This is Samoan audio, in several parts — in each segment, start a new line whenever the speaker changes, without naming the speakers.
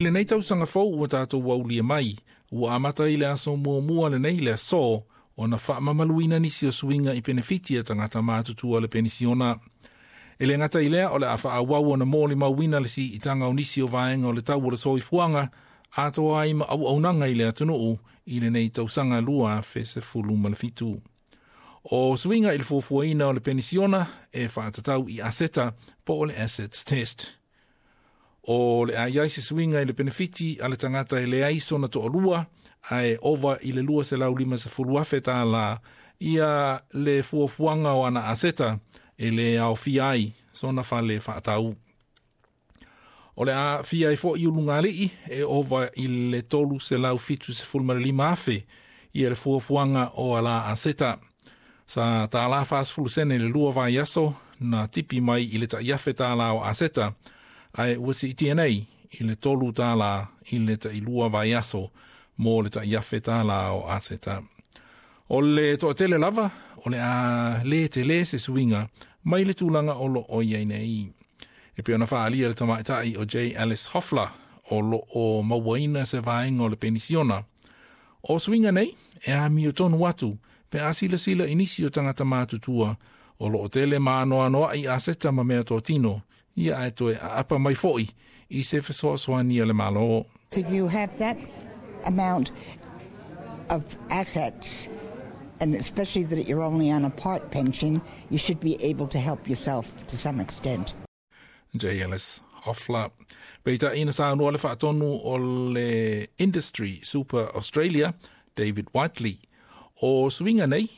I lenei tausaga fou ua tatou aulia mai, ua amata i le aso muamua lenei le aso ona faamamaluina nisi o suiga i penefiti a tagata matutua le penisiona. E le gata i lea o le a faaauau ona molimauina le siitaga o nisi o vaega o le tau o le soifuaga atoa ai ma auaunaga i le atunuu i lenei tausaga 2017. O suiga i le fuafuaina o le penisiona e faatatau i aseta po o le assets test. O le a i ai se suiga i le penefiti a le tagata e leai sona toalua ae ova i le $250,000 ia le fuafuaga o ana aseta e le aofia ai sona fale faatau. O le a aafia ai fo'i ulugalii e ova i le $375,000 ia le fuafuaga o ala aseta. Sa $1.40 i le 2 vaiaso na tipi mai i le $1,000 o aseta, ae ua siitia nei i le $3 i le 2 vaiaso mo le $1,000 o aseta. O le toatele lava, o le a le tele se suiga mai le tulaga o lo o i ai nei. E pei ona faaalia le tamaitai o J. Alice Hoffler o lo o mauaina se vaega o le penisiona. O suiga nei e amiotonu atu pe a silasila i nisi o tagata matutua o lo o tele ma anoanoai aseta ma mea totino, ia ae toe aapa mai fo'i i se fesoasoani a le Malo.
If you have that amount of assets, and especially that you're only on a part pension, you should be able to help yourself to some extent.
J. Alice Hoffler. Peitai na saunoa le faatonu o le Industry Super Australia, David Whiteley. O suiga nei,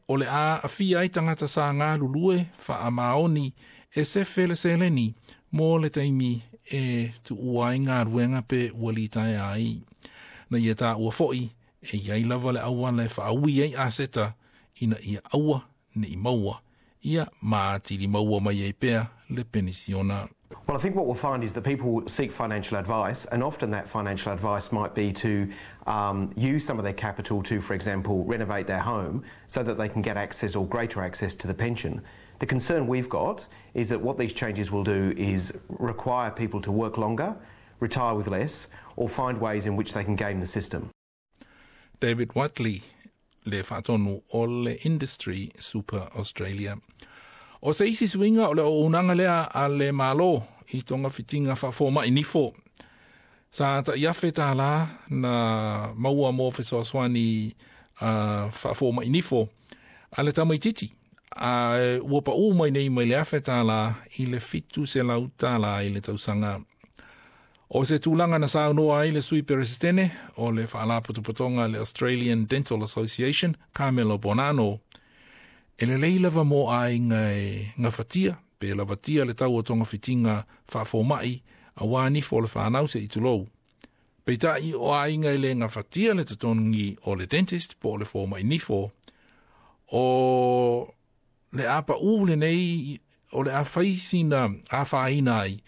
o le a aafia ai tagata sa galulue faamaoni e sefe le seleni mo le taimi e tuua ai galuega pe ua litaea ai. Na ia taua fo'i e i ai lava le auala e faaui ai aseta ina ia aua ne i maua ia ma atili maua mai ai pea le penisiona.
Well, I think what we'll find is that people seek financial advice, and often that financial advice might be to use some of their capital to, for example, renovate their home so that they can get access or greater access to the pension. The concern we've got is that what these changes will do is require people to work longer, retire with less, or find ways in which they can game the system.
David Whiteley, le faatonu o le Industry Super Australia. O se isi suiga o le auaunaga lea a le Malo i togafitiga faafoma'i nifo. Sa $1,000 na maua mo fesoasoani faafoma'i nifo a le tamaititi, a ua paʻū mai nei mai le $1,000 i le $700 i le tausaga. O se tulaga na saunoa ai le sui peresetene o le faalapotopotoga le Australian Dental Association, Carmelo Bonanno. E lelei lava mo aiga e gafatia, pe lavatia le tau o togafitiga faafoma'i auā nifo o le fanau se'i tulou. Peitai o aiga e le gafatia le totogi o le dentist po o le foma'i nifo, o le a paʻū lenei o le a fai sina afaina ai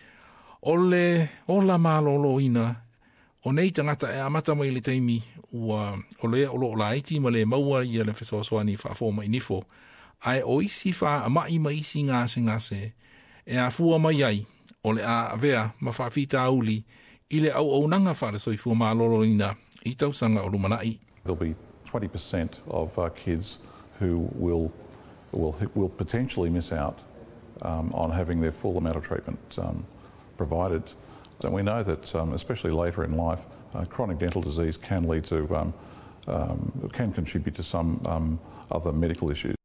o le ola malōlōina o nei tagata e amata mai le taimi ua o le o loo laiti ma le maua ia le fesoasoani faafoma'i nifo. Ae o isi faama'i ma isi gasegase e afua mai ai o le a avea ma faafitauli i le auaunaga faale-soifua malōlōina i tausaga o lumanai.
There'll be 20% of kids who will potentially miss out on having their full amount of treatment provided. And we know that, especially later in life, chronic dental disease can lead to, can contribute to some other medical issues.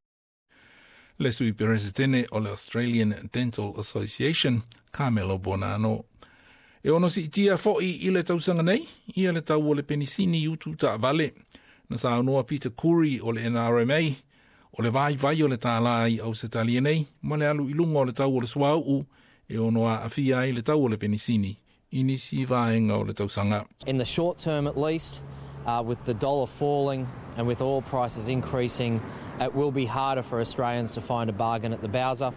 Le sui peresetene o le Australian Dental Association, Carmelo Bonanno. E ono siitia fo'i i le tausaga nei, ia le tau o le penisini utu taavale. Na saunoa Peter Curry o le NRMA, o le vaivai o le tālā i Ausetalia nei, ma le alu i luga o le tau o le suauu, e ono aafia ai le tau o le penisini, i nisi vaega o le tausaga.
In the short term at least, with the dollar falling and with oil prices increasing, it will be harder for Australians to find a bargain at the bowser.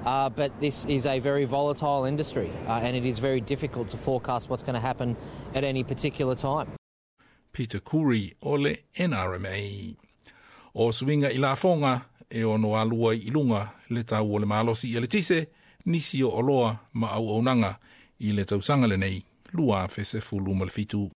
But this is a very volatile industry and it is very difficult to forecast what's going to happen at any particular time.
Peter Curry o le NRMA. O suiga i lafoga e ono alu ai i luga le tau o le malosi eletise, nisi o oloa ma auaunaga i le tausaga lenei 2017.